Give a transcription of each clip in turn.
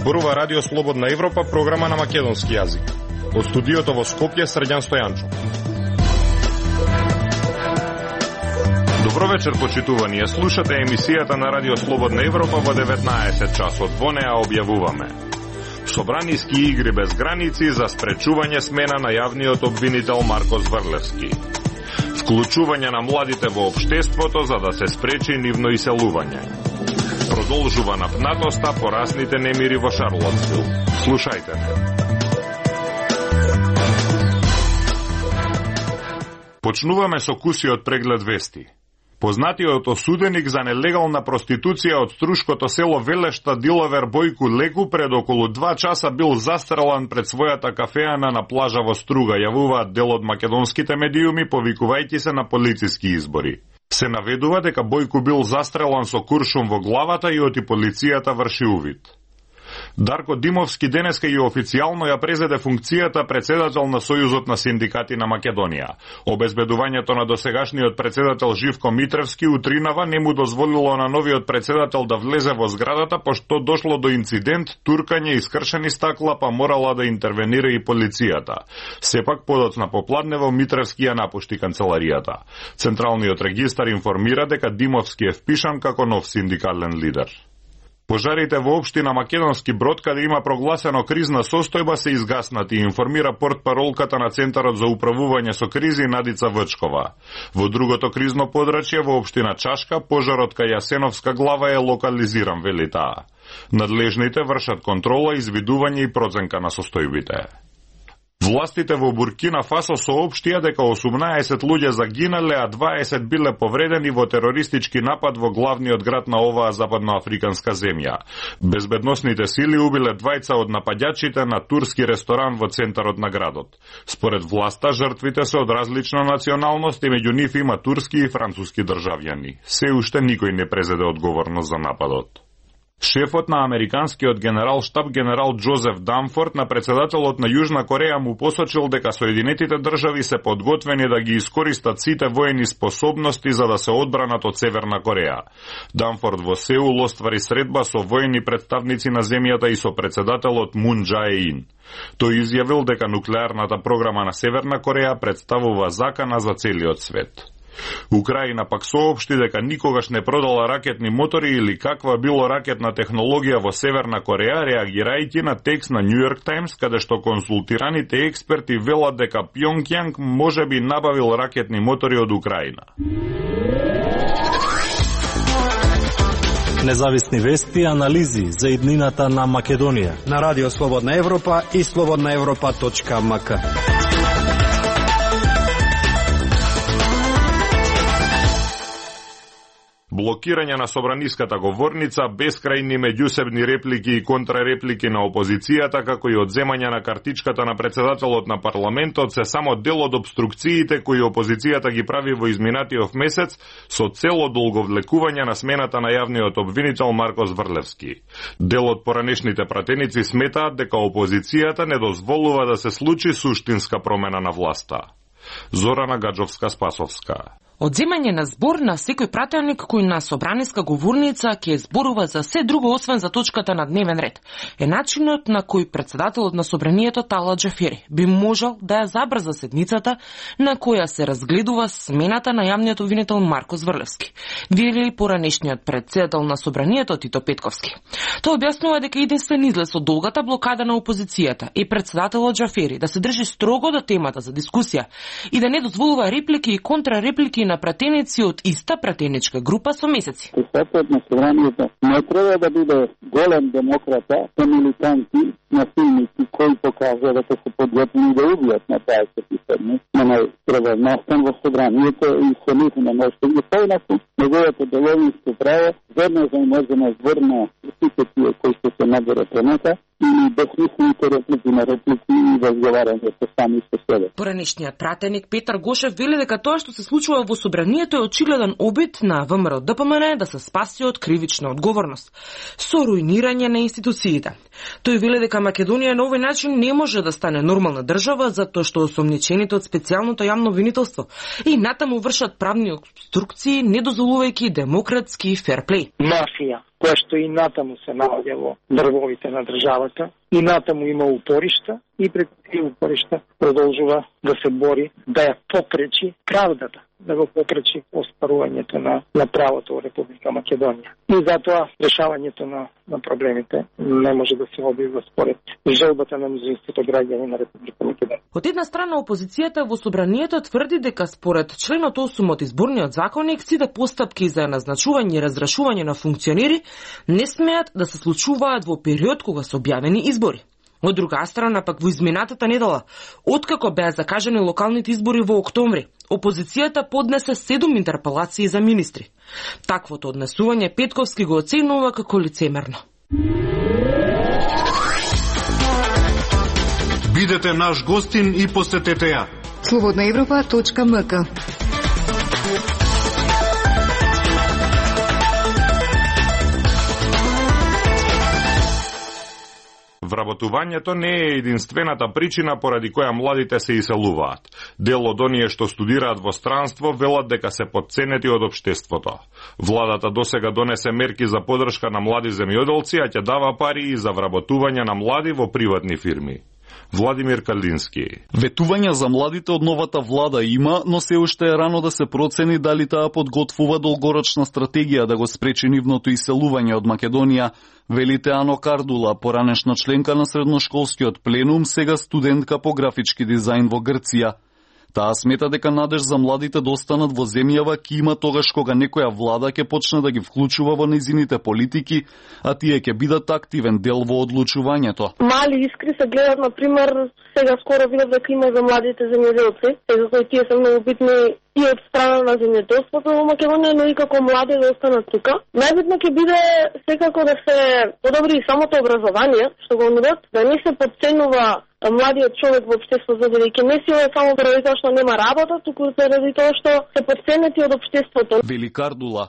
Зборува Радио Слободна Европа, програма на македонски јазик. Од студиото во Скопје, Срđan Стојанчов. Добро вечер, почитувани. Слушате емисијата на Радио Слободна Европа во 19 часот. Во неа објавуваме собраниски игри без граници за спречување смена на јавниот обвинител Марко Зврлевски. Вклучување на младите во општеството за да се спречи нивно иселување. Продолжува напнатоста по расните немири во Шарлотсвил. Слушајте. Почнуваме со кусиот преглед вести. Познатиот осуденик за нелегална проституција од струшкото село Велешта диловер Бојку Леку пред околу 2 часа бил застрелан пред својата кафеана на плажа во Струга, јавуваат дел од македонските медиуми, повикувајќи се на полициски избори. Се наведува дека Бојку бил застрелан со куршум во главата и оти полицијата врши увид. Дарко Димовски денеска и официјално ја презеде функцијата председател на Сојузот на синдикати на Македонија. Обезбедувањето на досегашниот председател Живко Митревски утринава не му дозволило на новиот председател да влезе во зградата, пошто дошло до инцидент, туркање и скршени стакла, па морала да интервенира и полицијата. Сепак подоцна попладнево Митревски ја напушти канцеларијата. Централниот регистар информира дека Димовски е впишан како нов синдикален лидер. Пожарите во општина Македонски Брод, каде има прогласено кризна состојба, се изгаснати, информира портпаролката на Центарот за управување со кризи Надица Вчкова. Во другото кризно подрачје во општина Чашка, пожарот кај Јасеновска глава е локализиран, вели таа. Надлежните вршат контрола, извидување и проценка на состојбите. Властите во Буркина Фасо соопштија дека 18 луѓе загинале, а 20 биле повредени во терористички напад во главниот град на оваа западноафриканска земја. Безбедносните сили убиле двајца од нападјачите на турски ресторан во центарот на градот. Според власта, жртвите се од различна националност и меѓу нив има турски и француски државјани. Се уште никој не презеде одговорност за нападот. Шефот на американскиот генерал штаб генерал Џозеф Данфорд на председателот на Јужна Кореја му посочил дека Соединетите држави се подготвени да ги искористат сите воени способности за да се одбранат од Северна Кореја. Данфорд во Сеул оствари средба со воени представници на земјата и со председателот Мун Џаe-ин. Тој изјавил дека нуклеарната програма на Северна Кореја представува закана за целиот свет. Украина пак соопшти дека никогаш не продала ракетни мотори или каква било ракетна технологија во Северна Кореја, реагирајќи на текст на New York Times, каде што консултираните експерти велат дека Пјонгјанг можеби набавил ракетни мотори од Украина. Независни вести и анализи за иднината на Македонија на Радио Слободна Европа и slobodnaevropa.mk. Блокирање на собраниската говорница, бескрајни меѓусебни реплики и контрареплики на опозицијата, како и одземање на картичката на председателот на парламентот се само дел од обструкциите кои опозицијата ги прави во изминатиот месец со цел одолговлекување на смената на јавниот обвинител Марко Зврлевски. Дел од поранешните пратеници сметаат дека опозицијата не дозволува да се случи суштинска промена на власта. Зорана Гаджовска-Спасовска. Одземање на збор на секој пратеник кој на собраниска говорница ќе зборува за се друго освен за точката на дневен ред е начинот на кој председателот на собранието Талат Џафери би можел да ја забрза седницата на која се разгледува смената на јавниот обвинител Марко Зврлевски, вели поранешниот председател на собранието Тито Петковски. Тој објаснува дека единствен излез од долгата блокада на опозицијата и председателот Џафери да се држи строго до темата за дискусија и да не дозволува реплики и контрареплики на пратеници од иста пратеничка група со месеци. Председателот на собранието не треба да биде голем демократа, со милитанти, насилници кои покажа дека се подготвени да убијат на таа седница. Не треба настан во собранието и се нити не може да ги појнаку неговото деловинско право веднаш да може да зврна сите тие кои се наберат пренета и безсмислените реплики на реплики и разговарање со сами со себе. Поранешниот пратеник Петар Гошев вели дека тоа што се случува во собранието е очигледен обид на ВМРО ДПМН да се спаси од кривична одговорност со руинирање на институциите. Тој вели дека Македонија на овој начин не може да стане нормална држава затоа што осомничените од специјалното јавно обвинителство и натаму вршат правни обструкции, не дозволувајќи демократски ферплей. Мафија, која што и натаму се наоѓа во дрвовите на државата, и натаму има упоришта, и преку тие упоришта продолжува да се бори да ја попречи правдата, да го попречи оспарувањето на правото во Република Македонија. И затоа решавањето на проблемите не може да се одвива според желбата на мнозинството граѓани на Република Македонија. Од една страна, опозицијата во собранието тврди дека според членот 8 од изборниот законник сите постапки за назначување и разрешување на функционери не смеат да се случуваат во период кога се објавени избори. Од друга страна, пак во изминатата недела, откако беа закажани локалните избори во октомври, опозицијата поднесе 7 интерпелации за министри. Таквото однесување Петковски го оценува како лицемерно. Бидете наш гостин и посетете ја. Slobodnaevropa.mk. Вработувањето не е единствената причина поради која младите се иселуваат. Дел од оние што студираат во странство велат дека се потценети од општеството. Владата досега донесе мерки за поддршка на млади земјоделци, а ќе дава пари и за вработување на млади во приватни фирми. Владимир Калински. Ветувања за младите од новата влада има, но се уште е рано да се процени дали таа подготвува долгорочна стратегија да го спречи нивното иселување од Македонија, велите Ано Кардула, поранешна членка на средношколскиот пленум, сега студентка по графички дизајн во Грција. Таа смета дека надеж за младите да останат во земјава ќе има тогаш кога некоја влада ќе почне да ги вклучува во нејзините политики, а тие ќе бидат активен дел во одлучувањето. Мали искри се гледат, например, сега скоро видов дека има за младите земјоделци, затоа и тие се многу битни и од страна на земјоделството во Македонија, но и како млади да останат тука. Најбитно ќе биде секако да се подобри и самото образование, што го нудат, да не се потценува младиот човек во општеството, бидејќи не си е само заради тоа што нема работа, туку заради тоа што се потценети од општеството. Вели Кардула.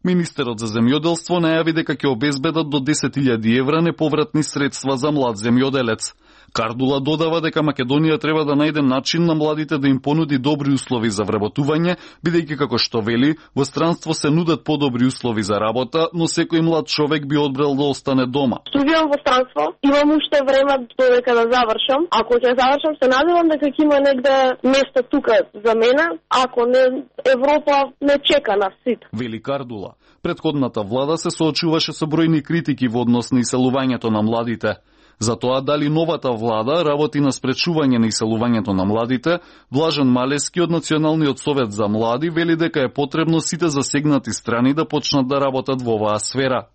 Министерот за земјоделство најави дека ќе обезбедат до 10.000 евра неповратни средства за млад земјоделец. Кардула додава дека Македонија треба да најде начин на младите да им понуди добри услови за вработување, бидејќи како што вели, во странство се нудат подобри услови за работа, но секој млад човек би одбрал да остане дома. Студијам во странство, имам уште време додека да завршам. Ако ќе завршам, се надевам дека ќе има негде место тука за мене, ако не Европа не чека на сит. Вели Кардула. Претходната влада се соочуваше со бројни критики во однос на иселувањето на младите. За тоа дали новата влада работи на спречување на иселувањето на младите, Блажен Малески од Националниот совет за млади вели дека е потребно сите засегнати страни да почнат да работат во оваа сфера.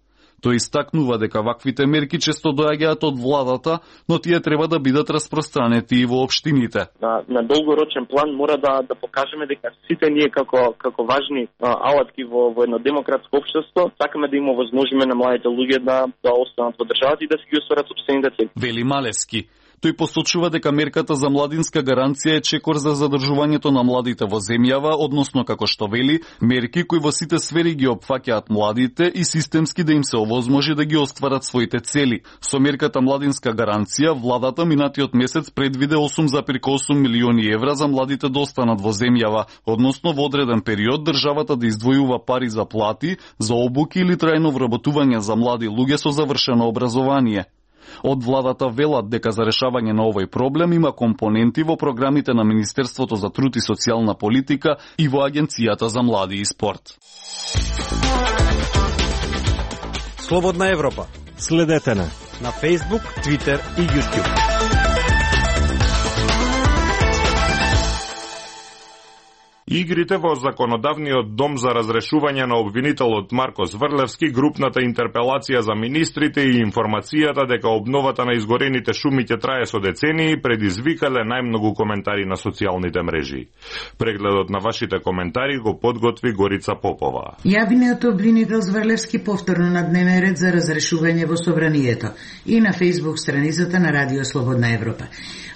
Тој истакнува дека ваквите мерки често доаѓаат од владата, но тие треба да бидат распространети и во општините. На долгорочен план мора да покажеме дека сите ние како важни алатки во едно демократско општество сакаме да им овозможиме на младите луѓе да останат во државата и да се ги остварат сопствените цели. Вели Малески. Тој посочува дека мерката за младинска гаранција е чекор за задржувањето на младите во земјава, односно како што вели, мерки кои во сите сфери ги опфаќаат младите и системски да им се овозможи да ги остварат своите цели. Со мерката младинска гаранција, владата минатиот месец предвиде 8,8 милиони евра за младите да останат во земјава, односно во одреден период државата да издвојува пари за плати, за обуки или трајно вработување за млади луѓе со завршено образование. Од владата велат дека за решавање на овој проблем има компоненти во програмите на Министерството за труд и социјална политика и во Агенцијата за млади и спорт. Слободна Европа. Следете на Facebook, Twitter и YouTube. Игрите во Законодавниот дом за разрешување на обвинителот Марко Зврлевски, групната интерпелација за министрите и информацијата дека обновата на изгорените шуми ќе трае со децении предизвикале најмногу коментари на социјалните мрежи. Прегледот на вашите коментари го подготви Горица Попова. Јавниот обвинител Зврлевски повторно на дневен ред за разрешување во собранието и на Facebook страницата на Радио Слободна Европа.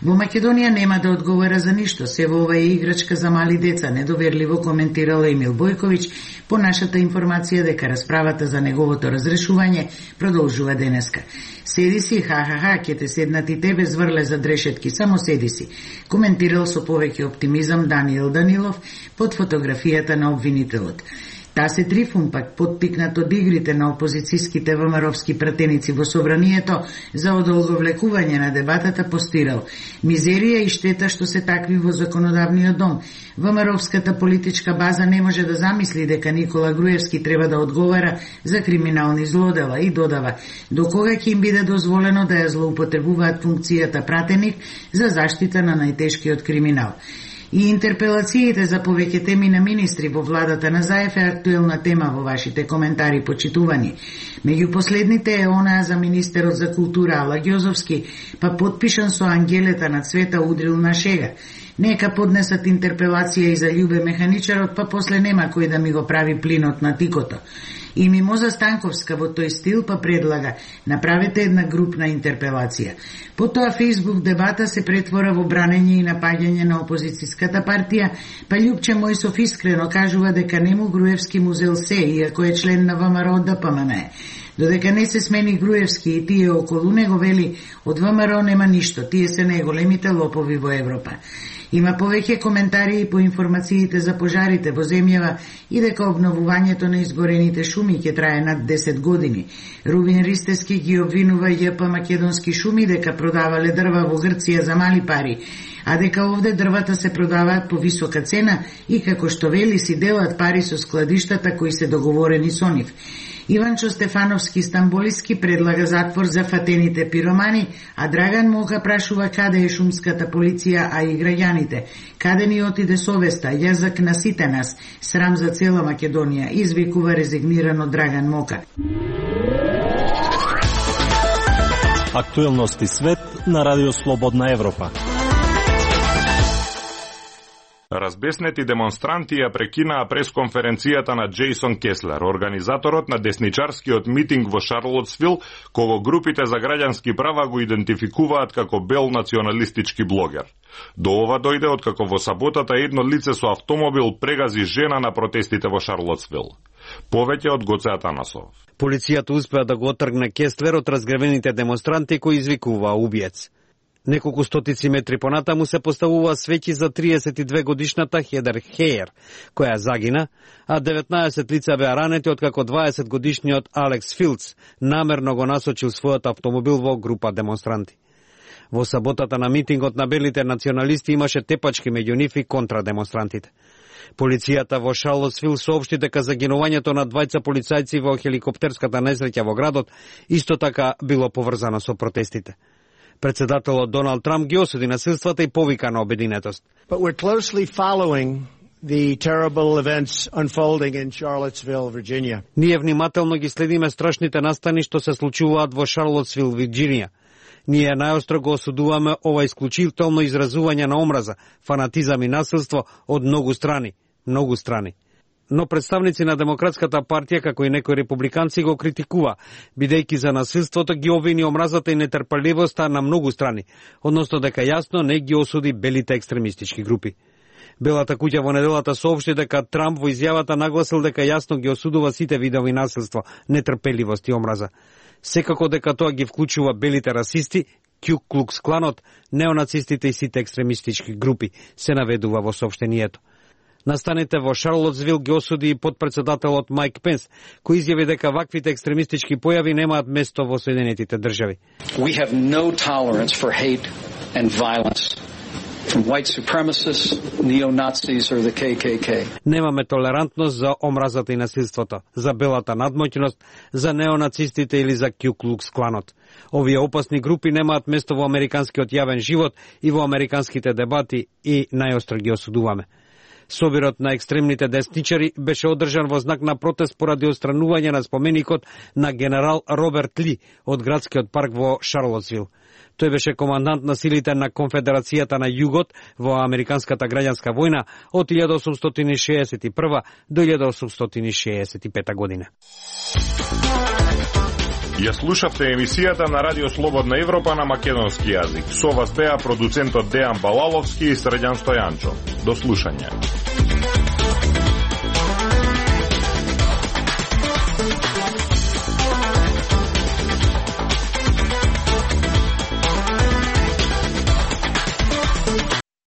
Во Македонија нема да одговара за ништо, се во оваа играчка за мали деца, не недоверливо коментирал Емил Бојковиќ по нашата информација дека расправата за неговото разрешување продолжува денеска. Седи си, ха, ќе те седнат и тебе зврле за дрешетки, само седи си, коментирал со повеќе оптимизам Даниел Данилов под фотографијата на обвинителот. Тасе Трифун пак потпикнат од игрите на опозицијските ВМРО-вски пратеници во собранието за одолговлекување на дебатата постирал: мизерија и штета што се такви во законодавниот дом. ВМРО-вската политичка база не може да замисли дека Никола Груевски треба да одговара за криминални злодела и додава: до кога ќе им биде дозволено да ја злоупотребуваат функцијата пратеник за заштита на најтешкиот криминал. И интерпелациите за повеќе теми на министри во владата на Заев е актуелна тема во вашите коментари, почитувани. Меѓу последните е онаа за министерот за култура Ала Ѓозовски, па подпишан со ангелета на цвета удрил на шега. Нека поднесат интерпелација и за Љубе Механичарот, па после нема кој да ми го прави плинот на тикото. И Мимоза Станковска во тој стил па предлага: направете една групна интерпелација. Потоа Facebook дебата се претвора во бранење и напаѓање на опозицијската партија, па Љупче Мојсов искрено кажува дека нему Груевски му зел се, иако е член на ВМРО ДПМН. Додека не се смени Груевски и тие околу него, вели, од ВМРО нема ништо, тие се најголемите лопови во Европа. Има повеќе коментари и по информациите за пожарите во земјава и дека обновувањето на изгорените шуми ќе трае над 10 години. Рубин Ристески ги обвинува ЈП Македонски шуми дека продавале дрва во Грција за мали пари, а дека овде дрвата се продаваат по висока цена и како што вели си делат пари со складиштата кои се договорени со нив. Иванчо Стефановски Стамболиски предлага затвор за фатените пиромани, а Драган Мока прашува каде е шумската полиција, а и граѓаните. Каде ни отиде совеста, јазик на сите нас, срам за цела Македонија, извикува резигнирано Драган Мока. Актуелности свет на Радио Слободна Европа. Разбеснети демонстранти ја прекинаа пресконференцијата на Джейсон Кеслер, организаторот на десничарскиот митинг во Шарлотсвил, кого групите за граѓански права го идентификуваат како бел националистички блогер. До ова дојде откако во саботата едно лице со автомобил прегази жена на протестите во Шарлотсвил. Повеќе од Гоце Атанасов. Полицијата успеа да го отргне Кеслер од разгревените демонстранти кои извикуваа убиец. Неколку стотици метри понатаму се поставува свеќи за 32 годишната Хедер Хеер, која загина, а 19 лица беа ранети откако 20 годишниот Алекс Филдс намерно го насочил својот автомобил во група демонстранти. Во саботата на митингот на белите националисти имаше тепачки меѓу нив и контра демонстрантите. Полицијата во Шарлотсвил соопшти дека загинувањето на двајца полицајци во хеликоптерската несреќа во градот исто така било поврзано со протестите. Председателот Доналд Трамп ги осуди насилствата и повика на обединетост. But we're closely following the terrible events unfolding in Charlottesville, Virginia. Ние внимателно ги следиме страшните настани што се случуваат во Шарлотсвил, Вирџинија. Ние најостро го осудуваме ова исклучително изразување на омраза, фанатизам и насилство од многу страни. Но представници на Демократската партија, како и некои републиканци, го критикува, бидејќи за насилството ги обвини омразата и нетрпеливоста на многу страни, односно дека јасно не ги осуди белите екстремистички групи. Белата куќа во неделата соопшти дека Трамп во изјавата нагласил дека јасно ги осудува сите видови насилство, нетрпеливост и омраза. Секако дека тоа ги вклучува белите расисти, Ку Клукс Кланот, неонацистите и сите екстремистички групи, се наведува во соопштението. Настаните во Шарлотсвил ги осуди и подпредседателот Майк Пенс, кој изјави дека ваквите екстремистички појави немаат место во Соединетите држави. We have no tolerance for hate and violence from white supremacists, neo-Nazis or the KKK. Немаме толерантност за омразата и насилството, за белата надмоќност, за неонацистите или за Ку Клукс Кланот. Овие опасни групи немаат место во американскиот јавен живот и во американските дебати и најостро ги осудуваме. Собирот на екстремните десничари беше одржан во знак на протест поради отстранување на споменикот на генерал Роберт Ли од градскиот парк во Шарлотсвил. Тој беше командант на силите на Конфедерацијата на Југот во Американската граѓанска војна од 1861 до 1865 година. Ја слушавте емисијата на Радио Слободна Европа на македонски јазик. Со вас беа продуцентот Дејан Балаловски и Срđan Стојанчо. До слушање.